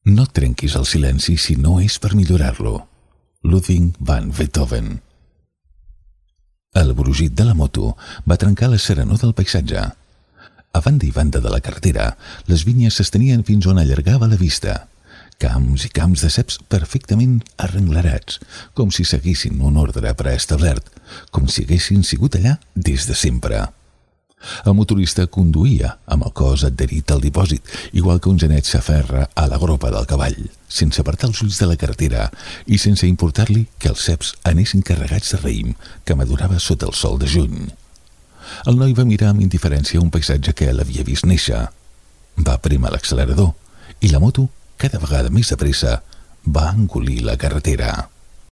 No trenquis el silenci si no és per millorar-lo. Ludwig van Beethoven. El brugit de la moto va trencar la serenor del paisatge. A banda i banda de la carretera, les vinyes s'estenien fins on allargava la vista. Camps i camps de ceps perfectament arrenglerats, com si seguissin un ordre preestablert, com si haguessin sigut allà des de sempre. El motorista conduïa amb el cos adherit al dipòsit, igual que un genet s'aferra a la gropa del cavall, sense apartar els ulls de la carretera i sense importar-li que els ceps anessin carregats de raïm que madurava sota el sol de juny. El noi va mirar amb indiferència un paisatge que l'havia vist néixer. Va prémer l'accelerador i la moto, cada vegada més de pressa, va engolir la carretera.